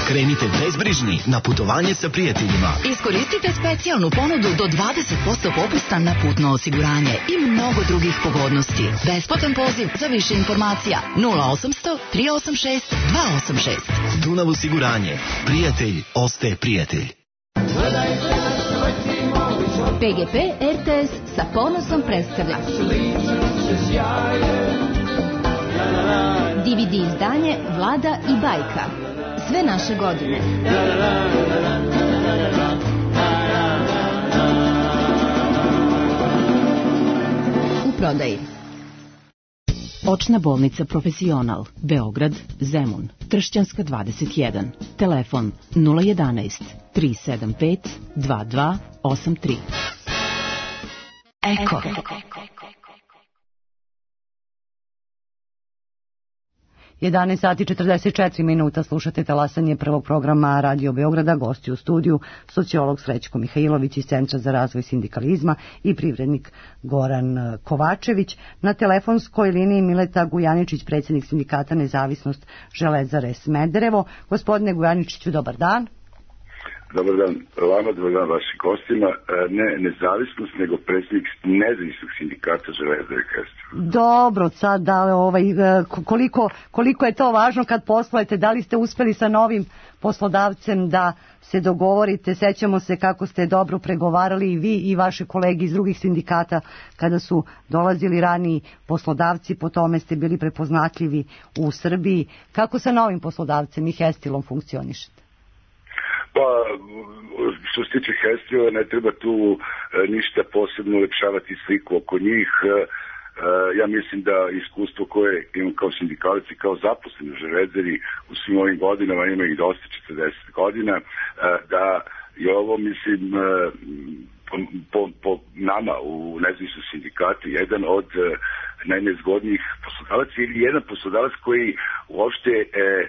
Krenite bezbrižni na putovanje sa prijateljima. Iskoristite specijalnu ponudu do dvadeset posto popusta na putno osiguranje i mnogo drugih pogodnosti. Besplatan poziv za više informacija nula osamsto tri osam šest dva osam šest. Dunav osiguranje. Prijatelj ostaje prijatelj. P G P R T S sa ponosom predstavlja D V D izdanje Vlada i bajka. Sve naše godine. U prodaji. Očna bolnica Profesional, Beograd, Zemun, Tršćanska dvadeset jedan. Telefon nula jedanaest tri sedam pet dva dva osam tri. Eko. jedanaest sati četrdeset četiri minuta, slušate talasanje prvog programa Radio Beograda, gosti u studiju, sociolog Srećko Mihajlović iz Centra za razvoj sindikalizma i privrednik Goran Kovačević. Na telefonskoj liniji Mileta Gujaničić, predsjednik sindikata Nezavisnost Železare Smederevo. Gospodine Gujaničiću, dobar dan. Dobar dan vama, dobar dan vašim gostima. Ne nezavisnost, nego predsjednik nezavisnog sindikata Železare Smederevo. Dobro, sad da, ovaj, koliko, koliko je to važno kad poslujete, da li ste uspeli sa novim poslodavcem da se dogovorite? Sećamo se kako ste dobro pregovarali i vi i vaše kolege iz drugih sindikata kada su dolazili raniji poslodavci, po tome ste bili prepoznatljivi u Srbiji. Kako sa novim poslodavcem i Hestilom funkcionišete? Pa, što se tiče Hestila, ne treba tu e, ništa posebno ulepšavati sliku oko njih. E, ja mislim da iskustvo koje imam kao sindikalac i kao zaposleni u Železari u svim ovim godinama, ima ih dosta, četrdeset godina, e, da je ovo, mislim, e, po, po, po nama u nezavisnom sindikatu jedan od e, najnezgodnijih poslodavaca ili jedan poslodavac koji uopšte e,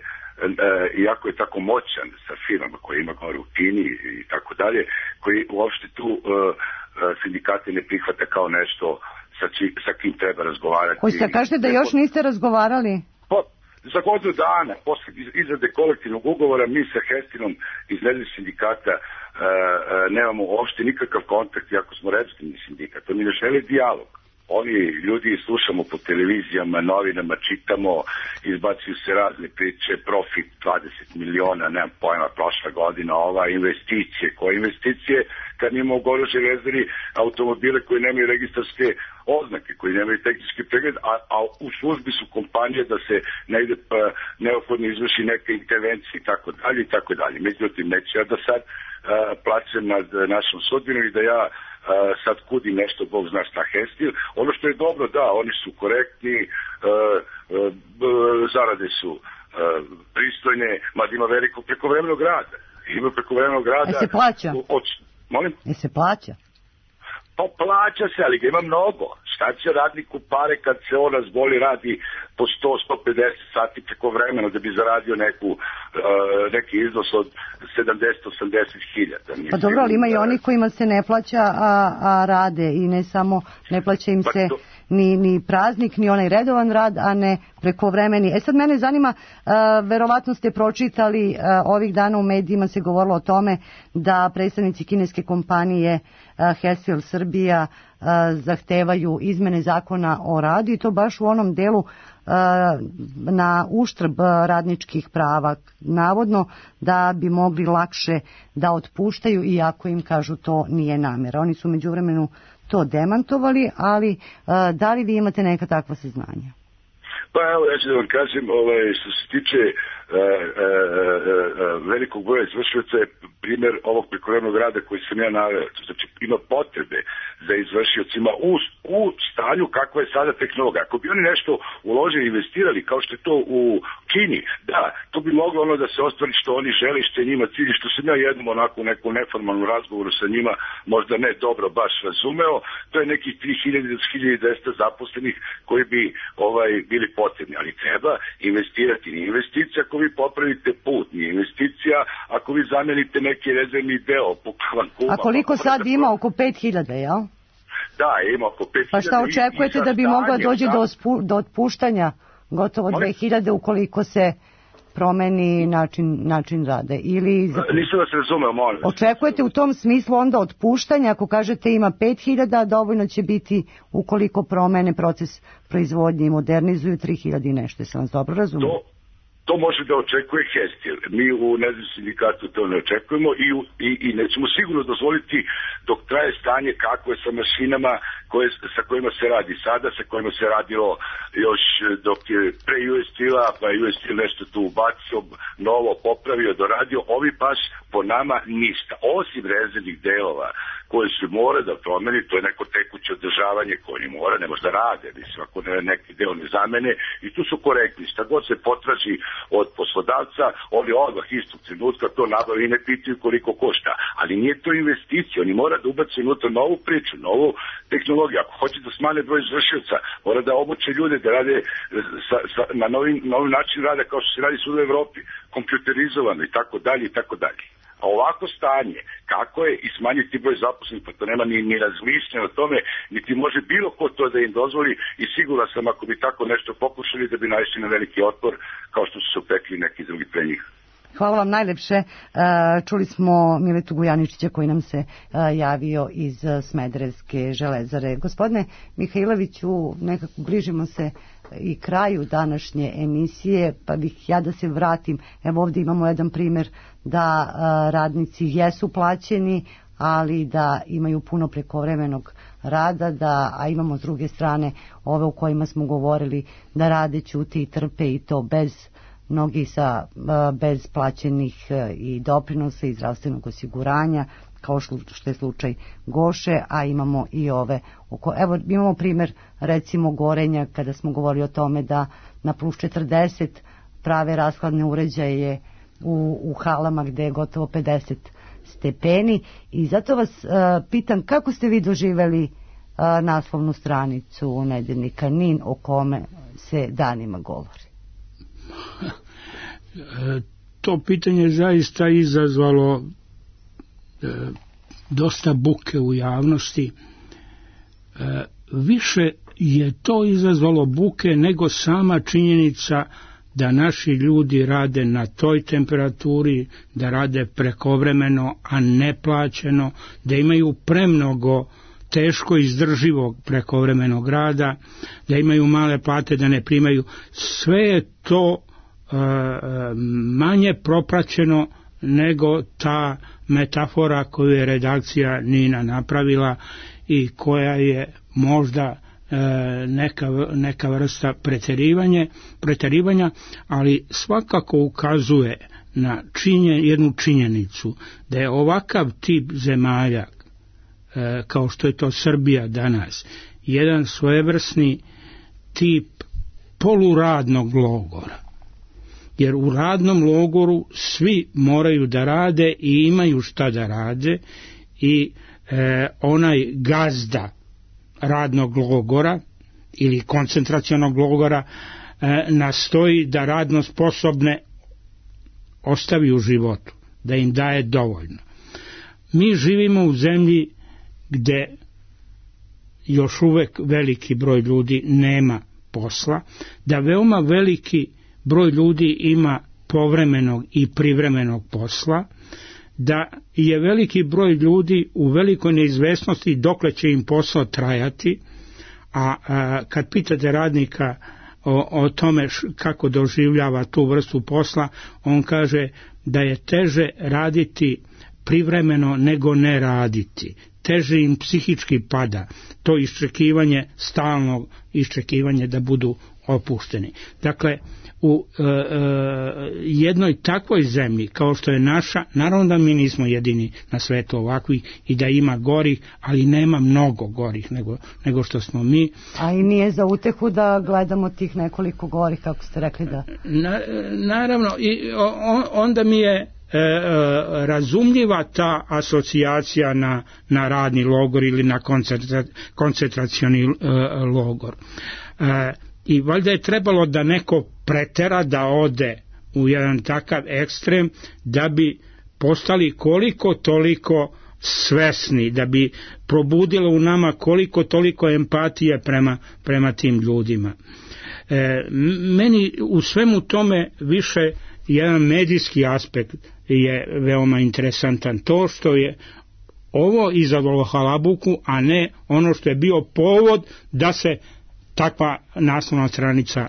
iako je tako moćan sa firmama koje ima gore u Kini i tako dalje, koji uopšte tu uh, sindikate ne prihvata kao nešto sa, či, sa kim treba razgovarati. Koji se kažete da još niste razgovarali? Pa, za godinu dana, posle izrade kolektivnog ugovora, mi sa Hestilom iz nezavisnog sindikata uh, uh, nemamo uopšte nikakav kontakt, iako smo reprezentativni sindikat. Oni ne žele dijalog. Oni ljudi slušamo po televizijama, novinama, čitamo, izbacuju se razne priče, profit dvadeset miliona, nemam pojma, prošla godina, ova investicije. Koje investicije kad imamo u Goru Železari automobile koji nemaju registarske oznake, koji nemaju tehnički pregled, a, a u službi su kompanije da se negde pa, neophodno izvrši neke intervencije i tako dalje i tako dalje. Međutim, neću ja da sad uh, plaćem nad našom sudbinom i da ja Uh, sad kudim nešto, Bog zna šta Hestil. Ono što je dobro, da, oni su korektni, uh, uh, zarade su uh, pristojne, mada ima veliko prekovremenog rada. Ima prekovremenog rada. E se plaća? Od, molim? E se plaća? Pa plaća se, ali ga ima mnogo. Šta će radniku pare kad se on razboli, radi po sto do sto pedeset sati preko vremena da bi zaradio neku, uh, neki iznos od sedamdeset do osamdeset hiljada. Pa dobro, ali ima i oni kojima se ne plaća, a, a rade i ne samo, ne plaća im se ni, ni praznik, ni onaj redovan rad, a ne prekovremeni. E sad mene zanima, uh, verovatno ste pročitali, uh, ovih dana u medijima se govorilo o tome da predstavnici kineske kompanije uh, Hestil Srbija uh, zahtevaju izmene zakona o radu i to baš u onom delu na uštrb radničkih prava, navodno da bi mogli lakše da otpuštaju, iako im kažu to nije namjera. Oni su međuvremenu to demantovali, ali da li vi imate neka takva saznanja? Pa evo, ja ću da vam kažem, ovaj, što se tiče e, e, e, velikog broja izvršioca je primjer ovog prekovremenog rada koji sam ja naveo. Znači, ima potrebe za izvršiocima u, u stanju kakva je sada tehnologija. Ako bi oni nešto uložili, investirali, kao što je to u Kini, da, to bi moglo ono da se ostvari što oni žele, što je njima cilj, što sam ja jednom onako u neku neformalnu razgovoru sa njima možda ne dobro baš razumeo, to je nekih tri hiljade do hiljadu dvesta zaposlenih koji bi ovaj bili potrebni, ali treba investirati. Nije investicija ako vi popravite put, nije investicija ako vi zamenite neki rezervni deo po klankuma. A koliko sad ima? Oko pet hiljada, jel? Da, ima oko pet hiljada. Pa šta očekujete da bi mogla doći do, spu, do otpuštanja gotovo dve hiljade ukoliko se promeni način, način rada? Ili za... Nisam vas razumeo, molim. Očekujete u tom smislu onda otpuštanja, ako kažete ima pet hiljada, dovoljno će biti ukoliko promene proces proizvodnje i modernizuju tri hiljade i nešto, sam vas dobro razumio? To... To može da očekuje Hestil. Mi u nezavisnom sindikatu to ne očekujemo i, i, i nećemo sigurno dozvoliti dok traje stanje kako je sa mašinama koje, sa kojima se radi sada, sa kojima se radilo još dok je pre U S Steel-a, pa U S Steel nešto tu ubacio, novo popravio, doradio. Ovi baš po nama ništa. Osim rezervnih delova koje se mora da promeni, to je neko tekuće održavanje koje oni mora, ne može da rade, mislim, ako ne, neki deo ne zamene, i tu su korektni. Šta god se potraži od poslodavca, oni odmah istog trenutka to nabavi i ne pitaju koliko košta. Ali nije to investicija, oni mora da ubaci unutra novu priču, novu tehnologiju metodologija. Ako hoće da smanje broj izvršioca, mora da obuče ljude da rade sa, sa, na novi, novi način rada kao što se radi svuda u Evropi, kompjuterizovano i tako dalje i tako dalje. A ovako stanje, kako je i smanjiti broj zaposlenih, pa to nema ni, ni razmišljanja o tome, niti može bilo ko to da im dozvoli i siguran sam ako bi tako nešto pokušali da bi naišli na veliki otpor kao što su se upekli neki drugi pre njih. Hvala vam najlepše. Čuli smo Miletu Gujaničića koji nam se javio iz Smederevske železare. Gospodine Mihajloviću, nekako bližimo se i kraju današnje emisije, pa bih ja da se vratim. Evo ovdje imamo jedan primjer da radnici jesu plaćeni, ali da imaju puno prekovremenog rada, da, a imamo s druge strane ove u kojima smo govorili da rade, ćute i trpe i to bez mnogi sa bez plaćenih i doprinosa i zdravstvenog osiguranja, kao što je slučaj Goše, a imamo i ove oko, evo imamo primjer recimo Gorenja, kada smo govorili o tome da na plus četrdeset prave rashladne uređaje u, u halama gde je gotovo pedeset stepeni, i zato vas uh, pitam kako ste vi doživeli uh, naslovnu stranicu nedeljnika Nin o kome se danima govori? To pitanje zaista izazvalo e, dosta buke u javnosti. E, više je to izazvalo buke nego sama činjenica da naši ljudi rade na toj temperaturi, da rade prekovremeno, a ne plaćeno, da imaju premnogo teško izdrživog prekovremenog rada, da imaju male plate, da ne primaju. Sve je to e, manje propraćeno nego ta metafora koju je redakcija Nina napravila i koja je možda e, neka, neka vrsta preterivanje, preterivanja, ali svakako ukazuje na činje, jednu činjenicu da je ovakav tip zemalja e, kao što je to Srbija danas, jedan svojevrsni tip poluradnog logora. Jer u radnom logoru svi moraju da rade i imaju šta da rade i e, onaj gazda radnog logora ili koncentracionog logora e, nastoji da radno sposobne ostavi u životu, da im daje dovoljno. Mi živimo u zemlji gde još uvek veliki broj ljudi nema posla, da veoma veliki broj ljudi ima povremenog i privremenog posla, da je veliki broj ljudi u velikoj neizvesnosti dokle će im posao trajati, a, a kad pitate radnika o, o tome š, kako doživljava tu vrstu posla, on kaže da je teže raditi privremeno nego ne raditi. Teže im psihički pada to iščekivanje, stalno iščekivanje da budu opušteni. Dakle, u e, e, jednoj takvoj zemlji kao što je naša, naravno da mi nismo jedini na svetu ovakvi i da ima gorih, ali nema mnogo gorih nego, nego što smo mi. A i nije za utehu da gledamo tih nekoliko gorih, kako ste rekli da... Na, naravno, i on, onda mi je E, e, razumljiva ta asocijacija na, na radni logor ili na koncentra, koncentracioni e, logor. E, I valjda je trebalo da neko pretera da ode u jedan takav ekstrem da bi postali koliko toliko svesni, da bi probudilo u nama koliko toliko empatije prema, prema tim ljudima. E, meni u svemu tome više jedan medijski aspekt je veoma interesantan. To što je ovo izazvalo halabuku, a ne ono što je bio povod da se takva naslovna stranica e,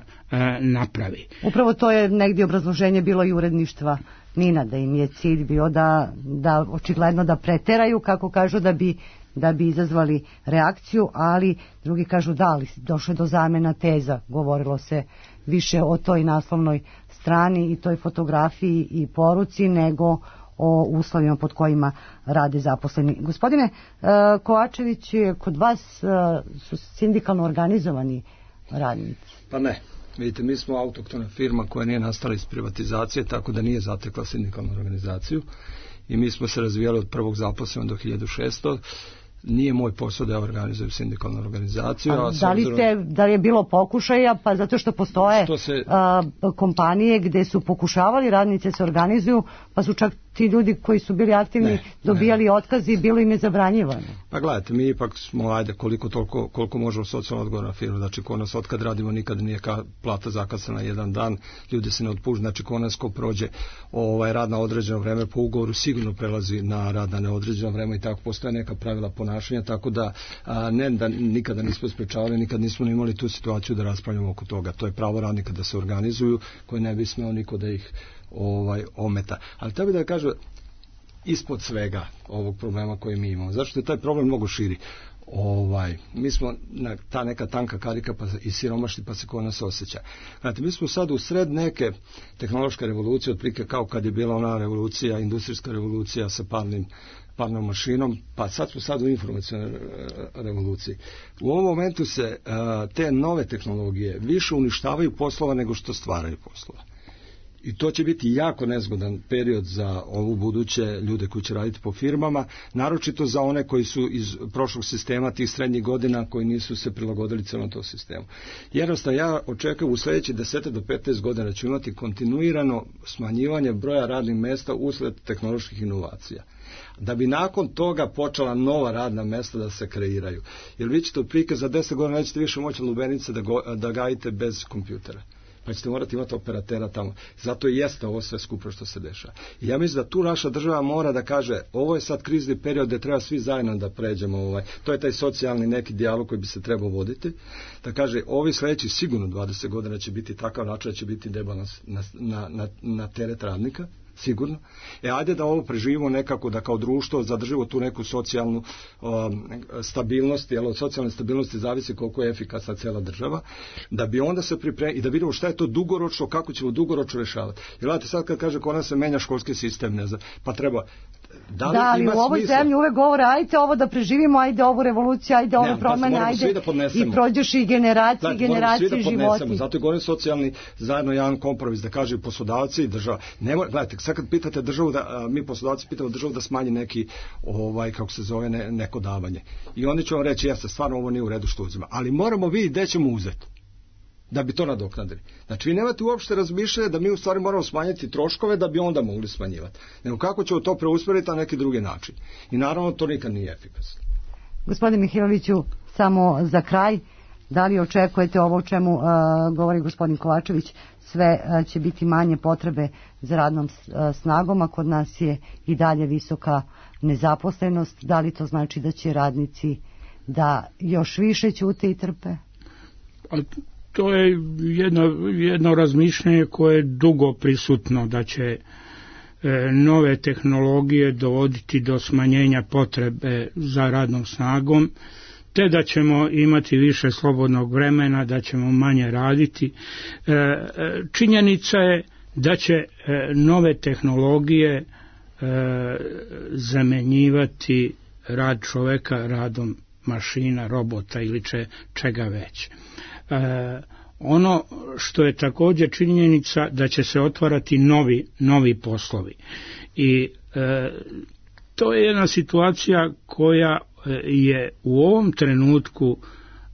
napravi. Upravo to je negdje obrazloženje bilo i uredništva Nina, da im je cilj bio da, da očigledno da preteraju, kako kažu, da bi, da bi izazvali reakciju, ali drugi kažu da, ali došlo je do zamena teza, govorilo se više o toj naslovnoj strani i toj fotografiji i poruci nego o uslovima pod kojima rade zaposleni. Gospodine uh, Kovačević, kod vas uh, su sindikalno organizovani radnici? Pa ne. Vidite, mi smo autoktona firma koja nije nastala iz privatizacije, tako da nije zatekla sindikalnu organizaciju i mi smo se razvijali od prvog zaposlenog do hiljadu šeststo. nije moj posao da ja organizujem sindikalnu organizaciju. A, da, li ste, da li je bilo pokušaja, pa zato što postoje što se, a, kompanije gde su pokušavali radnice se organizuju, pa su čak ti ljudi koji su bili aktivni ne, dobijali ne. otkazi i bilo im je zabranjivano. Pa gledajte, mi ipak smo, ajde, koliko, toliko, koliko možemo socijalno odgovorna firma, znači ko nas otkad radimo nikad nije ka, plata zakasana jedan dan, ljudi se ne otpušta, znači ko nas ko prođe ovaj, rad na određeno vreme po ugovoru sigurno prelazi na rad na neodređeno vreme i tako postoje neka pravila ponašanja, tako da a, ne da nikada nismo sprečavali, nikad nismo imali tu situaciju da raspravljamo oko toga. To je pravo radnika da se organizuju, koji ne bi smeo niko da ih ovaj ometa. Ali treba da kažem ispod svega ovog problema koji mi imamo. Zašto je taj problem mnogo širi? Ovaj, mi smo na ta neka tanka karika pa i siromašni pa se ko nas osjeća. Znate, mi smo sad u sred neke tehnološke revolucije, otprilike kao kad je bila ona revolucija, industrijska revolucija sa parnim parnom mašinom, pa sad smo sad u informacionalnoj revoluciji. U ovom momentu se uh, te nove tehnologije više uništavaju poslova nego što stvaraju poslova. I to će biti jako nezgodan period za ovu buduće ljude koji će raditi po firmama, naročito za one koji su iz prošlog sistema, tih srednjih godina, koji nisu se prilagodili celom tom sistemu. Jednostavno, ja očekujem u sledećih deset do petnaest godina da ću imati kontinuirano smanjivanje broja radnih mesta usled tehnoloških inovacija. Da bi nakon toga počela nova radna mesta da se kreiraju. Jer vi ćete otprilike za deset godina nećete više moći lubenice da, go, da gajite bez kompjutera. Pa ćete morati imati operatera tamo. Zato i jeste ovo sve skupo što se dešava. I ja mislim da tu naša država mora da kaže, ovo je sad krizni period gde treba svi zajedno da pređemo. Ovaj. To je taj socijalni neki dijalog koji bi se trebao voditi. Da kaže, ovi sledeći sigurno dvadeset godina će biti takav način da će biti debalans na, na, na, na teret radnika. Sigurno. E, ajde da ovo preživimo nekako, da kao društvo zadržimo tu neku socijalnu um, stabilnost, jer od socijalne stabilnosti zavisi koliko je efikasna cela država, da bi onda se pripremili i da vidimo šta je to dugoročno, kako ćemo dugoročno rešavati. Jer gledajte, sad kad kaže kod nas se menja školski sistem, ne znam, pa treba... Da, li da, ali ima u ovoj smisla? zemlji uvek govore, ajde ovo da preživimo, ajde ovu revoluciju, ajde ove ne, promene, pa ajde da i prođeš i generacije, znači, generacije da životi. Zato je govorim socijalni zajedno jedan kompromis, da kaže poslodavci i država. Ne, gledajte, sad kad pitate državu, da, a, mi poslodavci pitamo državu da smanji neki, ovaj, kako se zove, ne, neko davanje. I oni će vam reći, jeste, stvarno ovo nije u redu što uzima. Ali moramo vidjeti gde ćemo uzeti da bi to nadoknadili. Znači, vi nemate uopšte razmišljanje da mi u stvari moramo smanjiti troškove da bi onda mogli smanjivati. Nego kako ćemo to preusmeriti na neki drugi način. I naravno, to nikad nije efikasno. Gospodine Mihajloviću, samo za kraj, da li očekujete ovo o čemu uh, govori gospodin Kovačević, sve uh, će biti manje potrebe za radnom uh, snagom, a kod nas je i dalje visoka nezaposlenost. Da li to znači da će radnici da još više ćute i trpe? Ali to je jedno, jedno razmišljanje koje je dugo prisutno, da će e, nove tehnologije dovoditi do smanjenja potrebe za radnom snagom, te da ćemo imati više slobodnog vremena, da ćemo manje raditi. E, činjenica je da će e, nove tehnologije e, zamenjivati rad čoveka radom mašina, robota ili če, čega već. E, ono što je također činjenica da će se otvarati novi, novi poslovi i e, to je jedna situacija koja je u ovom trenutku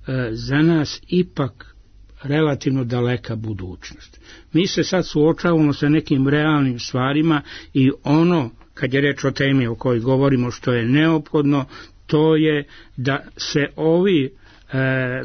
e, za nas ipak relativno daleka budućnost. Mi se sad suočavamo sa nekim realnim stvarima i ono, kad je reč o temi o kojoj govorimo, što je neophodno, to je da se ovi e,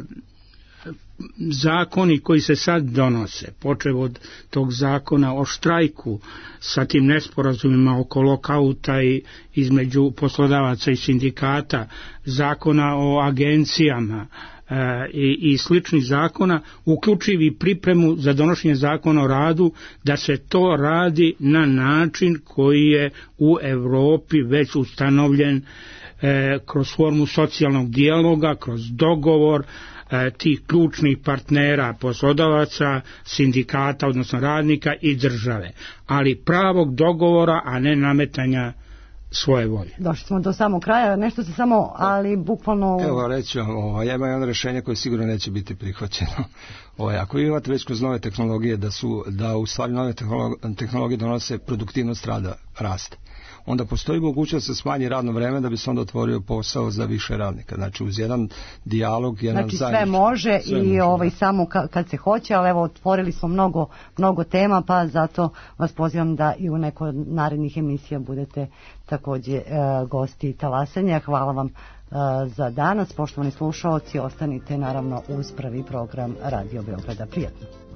zakoni koji se sad donose, počev od tog zakona o štrajku sa tim nesporazumima oko lokauta i između poslodavaca i sindikata, zakona o agencijama e, i, i sličnih zakona, uključivi pripremu za donošenje zakona o radu, da se to radi na način koji je u Evropi već ustanovljen e, kroz formu socijalnog dijaloga, kroz dogovor tih ključnih partnera, poslodavaca, sindikata, odnosno radnika i države. Ali pravog dogovora, a ne nametanja svoje volje. Došli smo do samog kraja, nešto se samo, ali bukvalno... Evo, reći vam, ovo, ja imam jedno rešenje koje sigurno neće biti prihvaćeno. Ovo, ako vi imate već kroz nove tehnologije da su, da u stvari nove tehnologije donose produktivnost rada, raste. onda postoji mogućnost da se smanji radno vreme da bi se onda otvorio posao za više radnika. Znači uz jedan dijalog, jedan znači, zajednički. Sve može sve i može, ovaj, da. samo ka, kad se hoće, ali evo otvorili smo mnogo, mnogo tema, pa zato vas pozivam da i u nekoj od narednih emisija budete takođe e, gosti Talasanja. Hvala vam e, za danas. Poštovani slušaoci, ostanite naravno uz prvi program Radio Beograda. Prijatno.